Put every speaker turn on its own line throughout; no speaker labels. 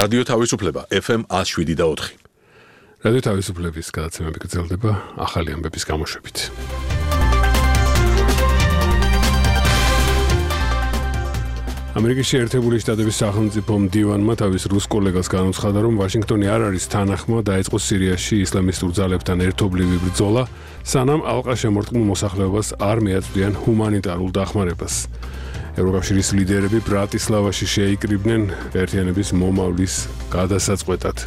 რადიო თავისუფლება FM 107.4.
რადიო თავისუფლების გადაცემები გრძელდება ახალი ამბების გამოშვებით. ამერიკის შეერთებული შტატების სახელმწიფო მდივანმა თავის რუს კოლეგას განუცხადა, რომ ვაშინგტონი არ არის თანახმა დაეწყო სირიაში ისლამისტურ ძალებთან ერთობლივი ბრძოლა, სანამ ალყაშემორტყმულ მოსახლეობას არ მიაწვდიან ჰუმანიტარულ დახმარებას. ევროკავშირის ლიდერები ბრატისლავაში შეიკრიბნენ გაერთიანების მომავლის გადასაწყვეტად.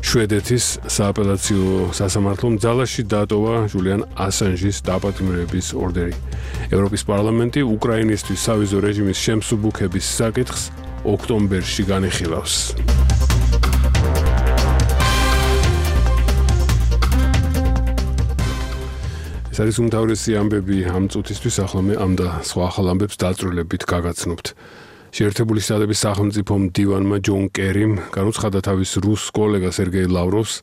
შვედეთის სააპელაციო სასამართლომ ძალაში დატოვა ჯულიან ასანჟის დაპატიმრების ორდერი. ევროპის პარლამენტი უკრაინისთვის სავიზო რეჟიმის შემსუბუქების საკითხს ოქტომბერში განიხილავს. ეს არის უმთავრესი ამბები ამ წუთისთვის, ახლა მე ამ და სხვა ახალ ამბებს დაწვრილებით გაგაცნობთ. შეერთებული შტატების სახელმწიფო მდივანმა ჯონ კერიმ განუცხადა თავის რუს კოლეგას სერგეი ლავროვს,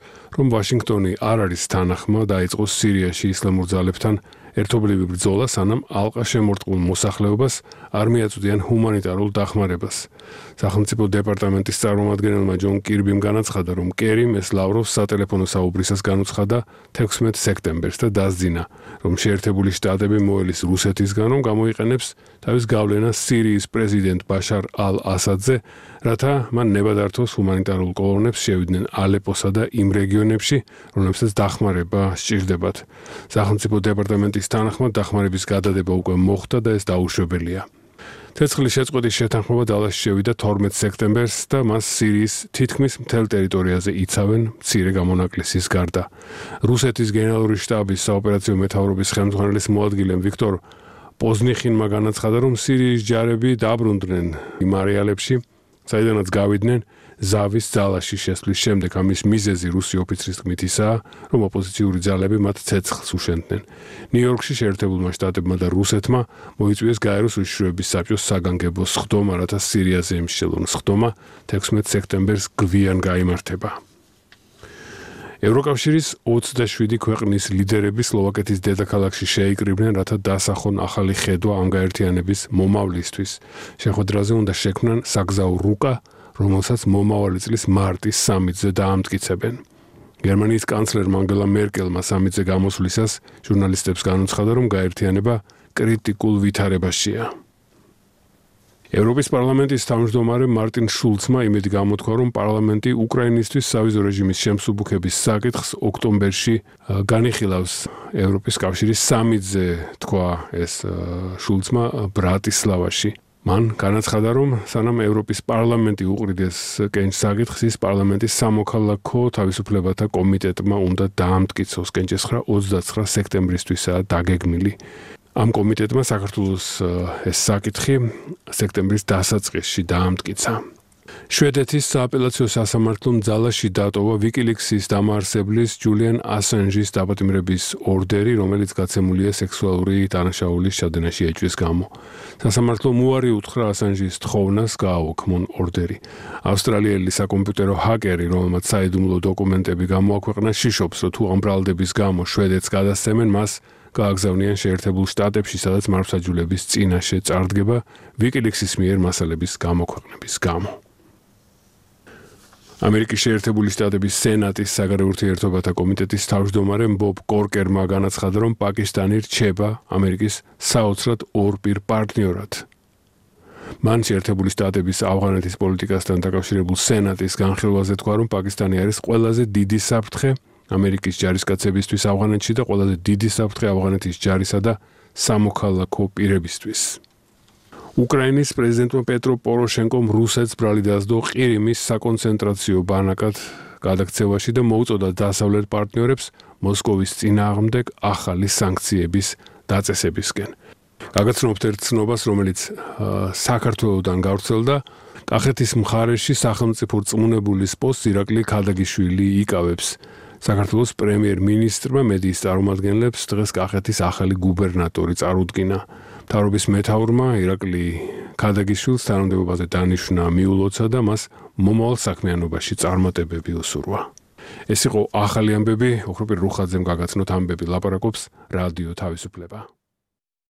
რომ ვაშინგტონი არ არის თანახმა დაეწყო სირიაში ისლამურ ძალებთან ერთობლივი ბრძოლა, სანამ ალყაშემორტყმულ მოსახლეობას არ მიაწვდიან ჰუმანიტარულ დახმარებას. სახელმწიფო დეპარტამენტის წარმომადგენელმა ჯონ კირბიმ განაცხადა, რომ კერიმ ეს ლავროვს სატელეფონო საუბრისას განუცხადა 16 სექტემბერს და დასძინა, რომ შეერთებული შტატები მოელის რუსეთისგან, რომ გამოიყენებს თავის გავლენას სირიის პრეზიდენტ ბაშარ ალ-ასადზე, რათა მან ნება დართოს ჰუმანიტარულ კოლონებს შევიდნენ ალეპოსა და იმ რეგიონებში, რომლებსაც დახმარება სჭირდებათ. სახელმწიფო დეპარტამენტის თანახმად დახმარების გადადება უკვე მოხდა და ეს დაუშვებელია. ცეცხლის შეწყვეტის შეთანხმება დალაში შევიდა 12 სექტემბერს და მას სირიის თითქმის მთელ ტერიტორიაზე იცავენ მცირე გამონაკლისის გარდა. რუსეთის გენერალური შტაბის საოპერაციო მეთაურობის ხელმძღვანელის მოადგილემ ვიქტორ პოზნიხინმა განაცხადა, რომ სირიის ჯარები დაბრუნდნენ იმ არეალებში, საიდანაც გავიდნენ ზავის ძალაში შესვლის შემდეგ. ამის მიზეზი რუსი ოფიცრის თქმით ისაა, რომ ოპოზიციური ძალები მათ ცეცხლს უშენდნენ. ნიუ-იორკში შეერთებულმა შტატებმა და რუსეთმა მოიწვიეს გაეროს უშიშროების საბჭოს საგანგებო სხდომა, რათა სირიაზე ემშელონ. სხდომა 16 სექტემბერს გვიან გაიმართება. ევროკავშირის 27 ქვეყნის ლიდერები სლოვაკეთის დედაქალაქში შეიკრიბნენ, რათა დასახონ ახალი ხედვა ამ გაერთიანების მომავლისთვის. შეხვედრაზე უნდა შექმნან საგზაო რუკა, რომელსაც მომავალი წლის მარტის სამიტზე დაამტკიცებენ. გერმანიის კანცლერმა ანგელა მერკელმა სამიტზე გამოსვლისას ჟურნალისტებს განუცხადა, რომ გაერთიანება კრიტიკულ ვითარებაშია. ევროპის პარლამენტის თავმჯდომარე მარტინ შულცმა იმედი გამოთქვა, რომ პარლამენტი უკრაინისთვის სავიზო რეჟიმის შემსუბუქების საკითხს ოქტომბერში განიხილავს. ევროპის კავშირის სამიტზე თქვა ეს შულცმა ბრატისლავაში. მან განაცხადა, რომ სანამ ევროპის პარლამენტი უყრიდეს კენჭს საკითხს, ის პარლამენტის სამოქალაქო თავისუფლებათა კომიტეტმა უნდა დაამტკიცოს. კენჭესხრა 29 სექტემბრისთვისაა დაგეგმილი. ამ კომიტეტმა საქართველოს ეს საკითხი სექტემბრის დასაწყისში დაამტკიცა. შვედეთის სააპელაციო სასამართლომ ძალაში დატოვა ვიკილიქსის დამაარსებლის ჯულიან ასანჟის დაპატიმრების ორდერი, რომელიც გაცემულია სექსუალური დანაშაულის ჩადენაში ეჭვის გამო. სასამართლომ უარი უთხრა ასანჟის თხოვნას გააუქმონ ორდერი. ავსტრალიელი საკომპიუტერო ჰაკერი, რომელმაც საიდუმლო დოკუმენტები გამოაქვეყნა, შიშობს, რომ თუ ამ ბრალდების გამო შვედეთს გადასცემენ, მას გააგზავნიან შეერთებულ შტატებში, სადაც მართლმსაჯულების წინაშე წარდგება ვიკილიქსის მიერ მასალების გამოქვეყნების გამო. ამერიკის შეერთებული შტატების სენატის საგარეო ურთიერთობათა კომიტეტის თავმჯდომარე ბობ კორკერმა განაცხადა, რომ პაკისტანი რჩება ამერიკის საოცრად ორპირ პარტნიორად. მან შეერთებული შტატების ავღანეთის პოლიტიკასთან დაკავშირებულ სენატის განხილვაზე თქვა, რომ პაკისტანი არის ყველაზე დიდი საფრთხე ამერიკის ჯარისკაცებისთვის ავღანეთში და ყველაზე დიდი საფრთხე ავღანეთის ჯარისა და სამოქალაქო პირებისთვის. უკრაინის პრეზიდენტმა პეტრო პოროშენკომ რუსეთს ბრალი დასდო ყირიმის საკონცენტრაციო ბანაკად გადაქცევაში და მოუწოდა დასავლეთ პარტნიორებს მოსკოვის წინააღმდეგ ახალი სანქციების დაწესებისკენ. გაგაცნობთ ერთ ცნობას, რომელიც საქართველოსთან გავრცელდა. კახეთის მხარეში სახელმწიფო რწმუნებულის პოსტს ირაკლი ქადაგიშვილი იკავებს. საქართველოს პრემიერ-მინისტრმა მედიის წარმომადგენლებს დღეს კახეთის ახალი გუბერნატორი წარუდგინა. მთავრობის მეთაურმა ირაკლი ქადაგიშვილს თანამდებობაზე დანიშვნა მიულოცა და მას მომავალ საქმიანობაში წარმატებები უსურვა. ეს იყო ახალი ამბები, ოქროპირ რუხაძემ გაგაცნოთ ამბები, ლაპარაკობს რადიო თავისუფლება.